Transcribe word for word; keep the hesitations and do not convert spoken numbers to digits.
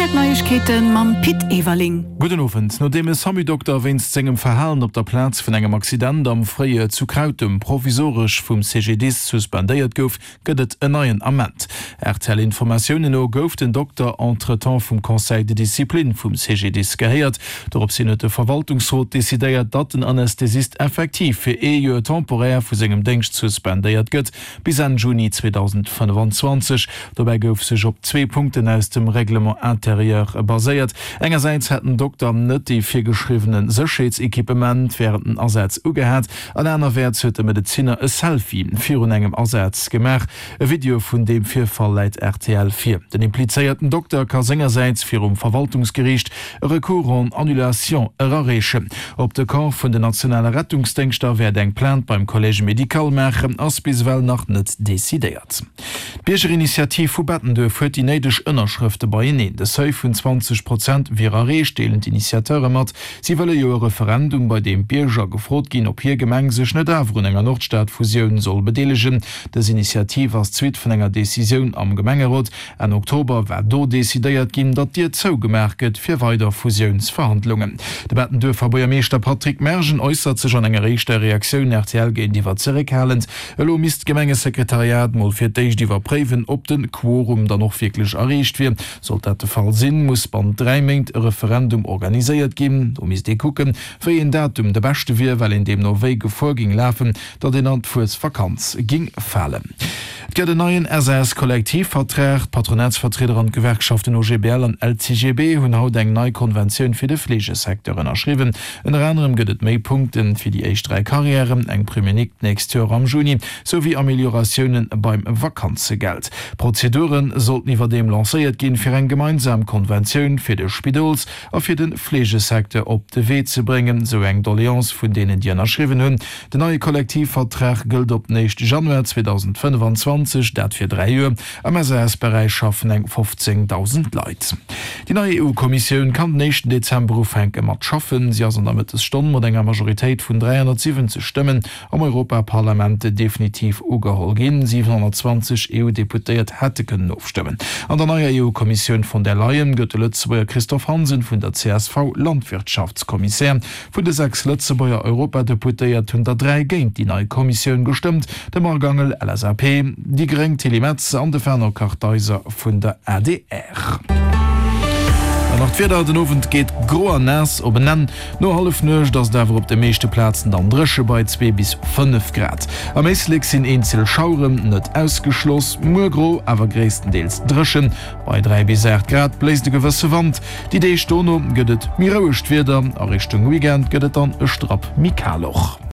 R T L Neiegkeeten mam Pit Everling. Gudden Owend. Nodeem e Samu-Dokter wéinst sengem Verhalen op der Plaz vun engem Accident am Fréijoer zu Krautem provisoresch vum C G D I S suspendéiert gouf, gëtt et en neien Ament. R T L-Informatiounen no gouf den Dokter entretemps vum Conseil de discipline vum C G D I S gehéiert. Doropshin huet de Verwaltungsrot decidéiert, datt den Anästhesist effektiv fir ee Joer temporär vu sengem Déngscht suspendéiert gëtt, bis Enn Juni zweedausendfënnefenzwanzeg. Dobäi gouf sech op zwee Punkten aus dem Règlement intérieur baséiert. Engersäits hätt den Dokter net déi virgeschriwwene Sécherheetsequipement wärend den Asätz ugehat an anerwäerts huet de Medezinner e Selfie virun engem Asaz gemaach. E Video vun deem Virfall läit R T L vir. Den implizéierten Dokter ka sengersäits virum Verwaltungsgeriicht e Recours en annulation erareechen. Ob de Corps vun den nationale Rettungsdéngschter wäert eng Plainte beim Collège médical maachen, ass bis ewell nach net decidéiert. D'Biergerinitiativ vu Bettenduerf huet déi néideg Ënnerschrëfte beieneen. De Seuil vun zwanzeg Prozent wier erreecht, deelen d'Initiateure mat. Si wëlle jo e Referendum, bei deem d'Bierger gefrot ginn, ob hir Gemeng sech net awer un enger Nordstad-Fusioun soll bedeelegen. Dës Initiativ ass d'Suite vun enger Decisioun am Gemengerot. Enn Oktober war do decidéiert ginn, datt d'Dier zougemaach gëtt fir weider Fusiounsverhandlungen. De Bettenduerfer Buergermeeschter Patrick Mergen äussert sech an enger éischter Reaktioun R T L géintiwwer zeréckhalend. Elo misst d'Gemengesekretariat mol fir d'éischt iwwerpréiwen, ob de Quorum dann och wierklech erreecht wier. Sollt dat de Fall sinn, muss bannent dräi Méint e Referendum organiséiert ginn. Do misst ee kucken, wéi een Datum de beschte wier, well een deemno wéi Gefor géing lafen, datt een an d'Fuesvakanz géing falen. Et gëtt en neien S A S-Kollektivvertrag. D'Patronatsvertrieder an d'Gewerkschaften O G B L an L C G B hunn haut eng nei Konventioun fir de Fleegesecteur ënnerschriwwen. Ënner anerem gëtt et méi Punkte fir déi éischt dräi Karriären, eng Prime unique d'nächst Joer am Juni, souwéi Amelioratioune beim Vakanzegeld. Prozedure sollten iwwerdeem lancéiert ginn, fir eng gemeinsam Konventioun fir de Spidols a fir de Fleegesecteur op de Wee ze bréngen, sou eng Doleance vun deenen, déi ënnerschriwwen hunn. Den neie Kollektivvertrag gëllt op den éischte Januar zweedausendfënnefenzwanzeg, dat fir dräi Joer. Am S A S-Beräich schaffen eng fofzéngdausend Leit. Déi nei E U-Kommissioun kann den éischten Dezember ufänke mat schaffen. Si ass an der Mëttesstonn mat enger Majoritéit vun dräihonnertsiwwenzeg Stëmmen am Europaparlament definitiv ugeholl ginn. siwenhonnertzwanzeg E U-Deputéiert hätte kënnen ofstëmmen. An der neier E U-Kommissioun von der Leyen gëtt de Lëtzebuerger Christophe Hansen vun der C S V Landwirtschaftskommissär. Vun de sechs Lëtzebuerger Europadeputéiert hunn der dräi géint déi nei Kommissioun gestëmmt, de Marc Angel, L S A P, déi gréng Tilly Metz an de Fernand Kartheiser vun der A D R. An nach d'Wieder, Den Owend geet gro an naass op en Enn. No Hallefnuecht ass et awer op de meeschte Plazen dann dréche bei zwee bis fënnef Grad. Am Éislek sinn eenzel Schaueren net ausgeschloss. Muer gro, awer gréisstendeels dréchen. Bei dräi bis aacht Grad bléist e gewësse Wand. Déi Deeg dono gëtt et méi rouegt Wieder. A Richtung Weekend gëtt et dann e Strapp méi kal och.